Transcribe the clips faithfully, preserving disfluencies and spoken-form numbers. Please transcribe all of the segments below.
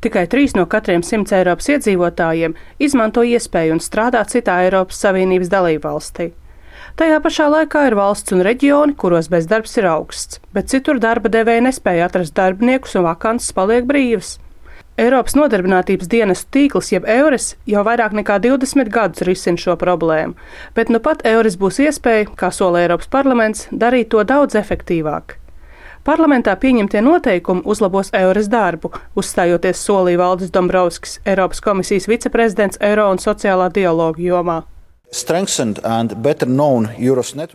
Tikai trīs no katriem simts Eiropas iedzīvotājiem izmanto iespēju un strādā citā Eiropas Savienības dalībvalstī. Tajā pašā laikā ir valsts un reģioni, kuros bezdarbs ir augsts, bet citur darba devēji nespēja atrast darbiniekus un vakances paliek brīvas. Eiropas nodarbinātības dienestu tīkls, jeb EURES, jau vairāk nekā divdesmit gadus risina šo problēmu, bet nu pat EURES būs iespēja, kā sola Eiropas parlaments, darīt to daudz efektīvāk. Parlamentā pieņemtie noteikumi uzlabos EURES darbu, uzstājoties solī Valdis Dombrovskis, Eiropas komisijas viceprezidents eiro un sociālā dialoga jomā.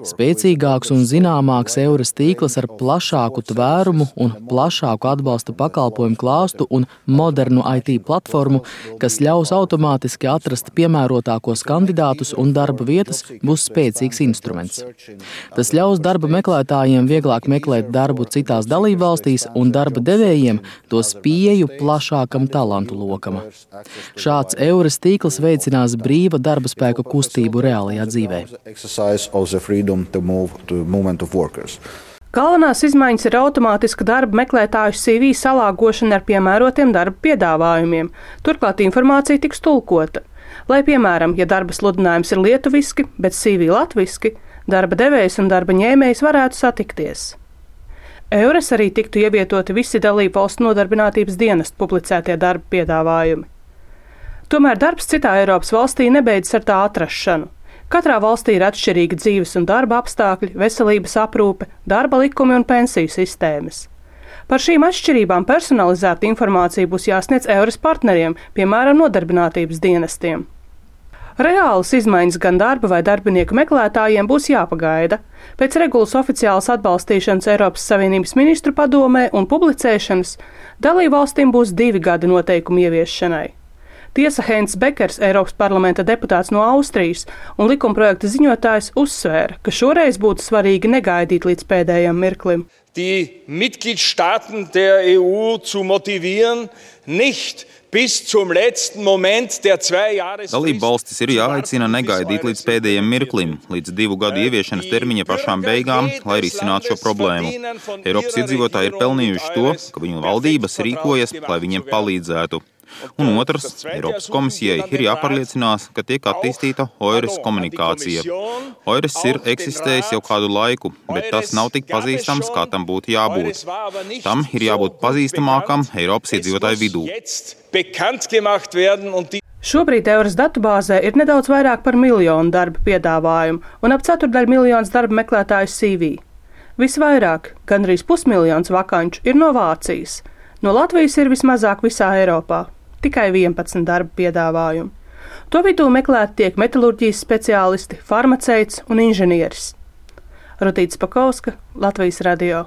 Spēcīgāks un zināmāks EURES tīkls ar plašāku tvērumu un plašāku atbalsta pakalpojumu klāstu un modernu I T platformu, kas ļaus automātiski atrast piemērotākos kandidātus un darba vietas, būs spēcīgs instruments. Tas ļaus darba meklētājiem vieglāk meklēt darbu citās dalībvalstīs un darba devējiem dos pieeju plašākam talantu lokam. Šāds EURES tīkls veicinās brīva darba spēka kustību reālajā dzīvē. Galvenās izmaiņas ir automātiska darba meklētāju C V salāgošana ar piemērotiem darba piedāvājumiem. Turklāt informācija tiks tulkota. Lai, piemēram, ja darba sludinājums ir lietuviski, bet C V latviski, darba devējs un darba ņēmējs varētu satikties. EURES arī tiktu ievietoti visi dalību valstu nodarbinātības dienestu publicētie darba piedāvājumi. Tomēr darbs citā Eiropas valstī nebeidzas ar tā atrašanu. Katrā valstī ir atšķirīgi dzīves un darba apstākļi, veselības aprūpe, darba likumi un pensiju sistēmas. Par šīm atšķirībām personalizēta informācija būs jāsniedz EURES partneriem, piemēram, nodarbinātības dienestiem. Reālas izmaiņas gan darba vai darbinieku meklētājiem būs jāpagaida. Pēc regulas oficiālas atbalstīšanas Eiropas Savienības ministru padomē un publicēšanas dalībvalstīm būs divi gadi noteikumu ieviešanai. Tiesa Heinz Bekers, Eiropas parlamenta deputāts no Austrijas un likumprojekta ziņotājs, uzsvēra, ka šoreiz būtu svarīgi negaidīt līdz pēdējam mirklim. Die Mitgliedstaaten der E U zu motivieren, nicht bis zum letzten Moment der zwei Jahres. Dalība valstis ir jāaicina negaidīt līdz pēdējiem mirklim, līdz divu gadu ieviešanas termiņa pašām beigām, lai risinātu šo problēmu. Eiropas iedzīvotāji ir pelnījuši to, ka viņu valdības rīkojas, lai viņiem palīdzētu. Un otrs, Eiropas komisijai ir jāpārliecinās, ka tiek attīstīta EURES komunikācija. EURES ir eksistējis jau kādu laiku, bet tas nav tik pazīstams, kā tam būtu jābūt. Tam ir jābūt pazīstamākam Eiropas iedzīvotāju vidū. Šobrīd EURES datubāzē ir nedaudz vairāk par miljonu darba piedāvājumu un ap ceturdaļu miljonus darba meklētāju C V. Visvairāk, gandrīz pusmiljons vakanču, ir no Vācijas. No Latvijas ir vismazāk visā Eiropā. Tikai vienpadsmit darba piedāvājumu. To vidū meklēti tiek metalurģijas speciālisti, farmaceits un inženieris. Rutīte Spakovska, Latvijas radio.